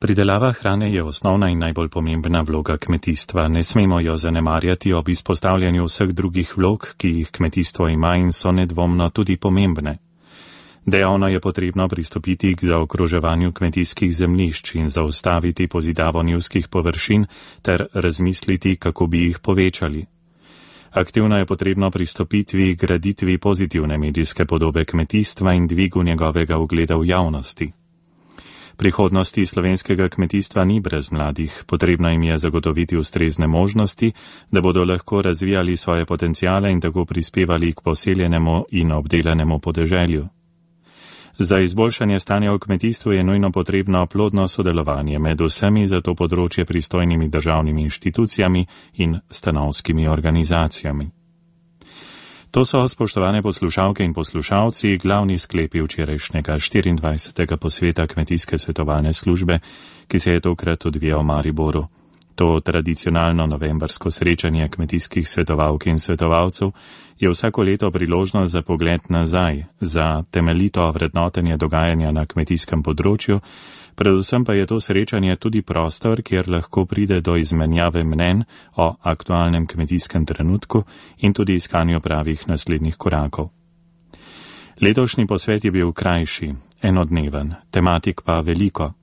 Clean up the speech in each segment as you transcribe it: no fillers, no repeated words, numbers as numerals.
Pridelava hrane je osnovna in najbolj pomembna vloga kmetijstva. Ne smemo jo zanemarjati ob izpostavljanju vseh drugih vlog, ki jih kmetijstvo ima in so nedvomno tudi pomembne. Dejavno je potrebno pristopiti k zaokroževanju kmetijskih zemljišč in zaustaviti pozidavo njivskih površin ter razmisliti, kako bi jih povečali. Aktivno je potrebno pristopiti k graditvi pozitivne medijske podobe kmetijstva in dvigu njegovega ugleda v javnosti. Prihodnosti slovenskega kmetijstva ni brez mladih, potrebno jim je zagotoviti ustrezne možnosti, da bodo lahko razvijali svoje potencijale in tako prispevali k poseljenemu in obdelanemu podeželju. Za izboljšanje stanja v kmetijstvu je nujno potrebno plodno sodelovanje med vsemi za to področje pristojnimi državnimi inštitucijami in stanovskimi organizacijami. To so, spoštovane poslušalke in poslušalci, glavni sklepi včerajšnjega 24. posveta Kmetijske svetovalne službe, ki se je tokrat odvijal v Mariboru. To tradicionalno novembrsko srečanje kmetijskih svetovalk in svetovalcev je vsako leto priložnost za pogled nazaj, za temeljito vrednotenje dogajanja na kmetijskem področju, predvsem pa je to srečanje tudi prostor, kjer lahko pride do izmenjave mnenj o aktualnem kmetijskem trenutku in tudi iskanju pravih naslednjih korakov. Letošnji posvet je bil krajši, enodneven, tematik pa veliko.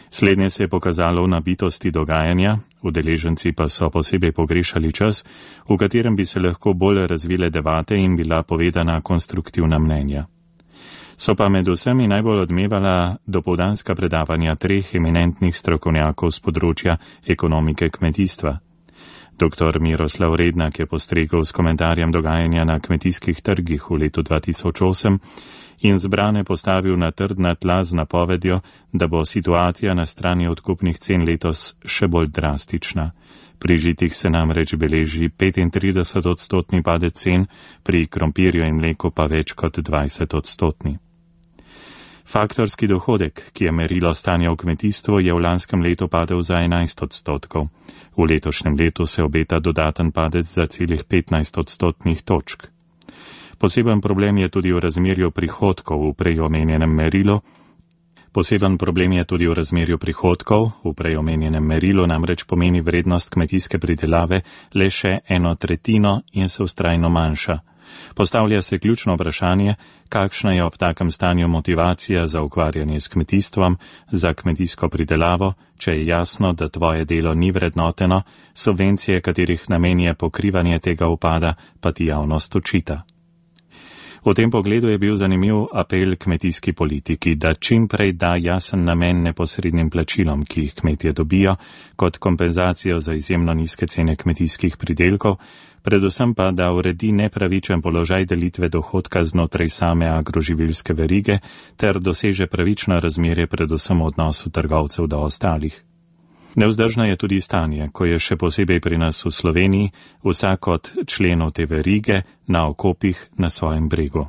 Slednje se je pokazalo v nabitosti dogajanja, udeleženci pa so posebej pogrešali čas, v katerem bi se lahko bolj razvile debate in bila povedana konstruktivna mnenja. So pa med vsemi najbolj odmevala dopoldanska predavanja 3 eminentnih strokovnjakov z področja ekonomike kmetijstva. Dr. Miroslav Rednak je postregel s komentarjem dogajanja na kmetijskih trgih v letu 2008 in zbrane postavil na trdna tla z napovedjo, da bo situacija na strani odkupnih cen letos še bolj drastična. Pri žitih se namreč beleži 35% padec cen, pri krompirju in mleku pa več kot 20%. Faktorski dohodek, ki je merilo stanja v kmetijstvu, je v lanskem letu padel za 11%. V letošnjem letu se obeta dodaten padec za celih 15% točk. Poseben problem je tudi v razmerju prihodkov v prej omenjenem merilu. Namreč pomeni vrednost kmetijske pridelave le še 1/3 in se vztrajno manjša. Postavlja se ključno vprašanje, kakšna je ob takem stanju motivacija za ukvarjanje s kmetijstvom, za kmetijsko pridelavo, če je jasno, da tvoje delo ni vrednoteno, subvencije, katerih namen je pokrivanje tega upada, pa ti javnost očita. V tem pogledu je bil zanimiv apel kmetijski politiki, da čim prej da jasen namen neposrednim plačilom, ki jih kmetje dobijo, kot kompenzacijo za izjemno nizke cene kmetijskih pridelkov, predvsem pa, da uredi nepravičen položaj delitve dohodka znotraj same agroživilske verige ter doseže pravično razmerje predvsem v odnosu trgovcev do ostalih. Nevzdržno je tudi stanje, ko je še posebej pri nas v Sloveniji vsak od členov te verige na okopih na svojem bregu.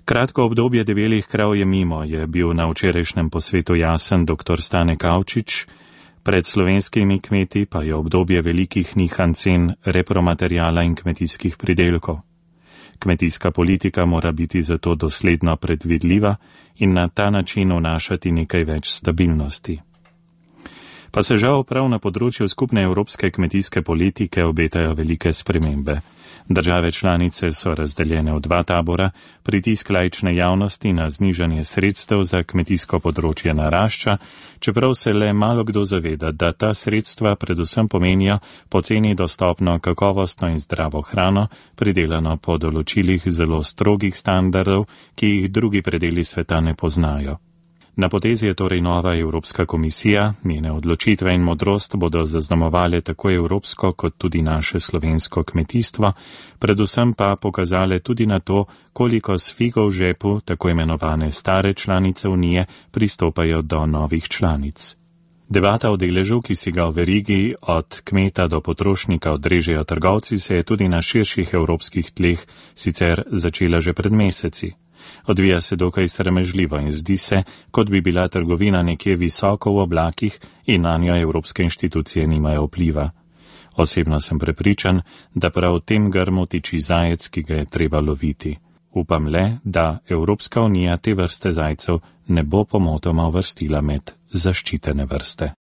Kratko obdobje debelih krav je mimo, je bil na včerajšnjem posvetu jasen dr. Stane Kavčič, pred slovenskimi kmeti pa je obdobje velikih nihanj cen repromateriala in kmetijskih pridelkov. Kmetijska politika mora biti zato dosledno predvidljiva in na ta način vnašati nekaj več stabilnosti. Pa se žal prav na področju skupne evropske kmetijske politike obetajo velike spremembe. Države članice so razdeljene v 2 tabora, pritisk laične javnosti na znižanje sredstev za kmetijsko področje narašča, čeprav se le malo kdo zaveda, da ta sredstva predvsem pomenijo poceni dostopno kakovostno in zdravo hrano, pridelano po določilih zelo strogih standardov, ki jih drugi predeli sveta ne poznajo. Na potezi je torej nova Evropska komisija, njene odločitve in modrost bodo zaznamovale tako evropsko kot tudi naše slovensko kmetijstvo, predvsem pa pokazale tudi na to, koliko s figo v žepu tako imenovane stare članice Unije pristopajo do novih članic. Debata o deležu, ki si ga v verigi od kmeta do potrošnika odrežejo trgovci, se je tudi na širših evropskih tleh sicer začela že pred meseci. Odvija se dokaj sramežljivo in zdi se, kot bi bila trgovina nekje visoko v oblakih in na njo evropske inštitucije nimajo vpliva. Osebno sem prepričan, da prav v tem grmu tiči zajec, ki ga je treba loviti. Upam le, da Evropska unija te vrste zajcev ne bo pomotoma uvrstila med zaščitene vrste.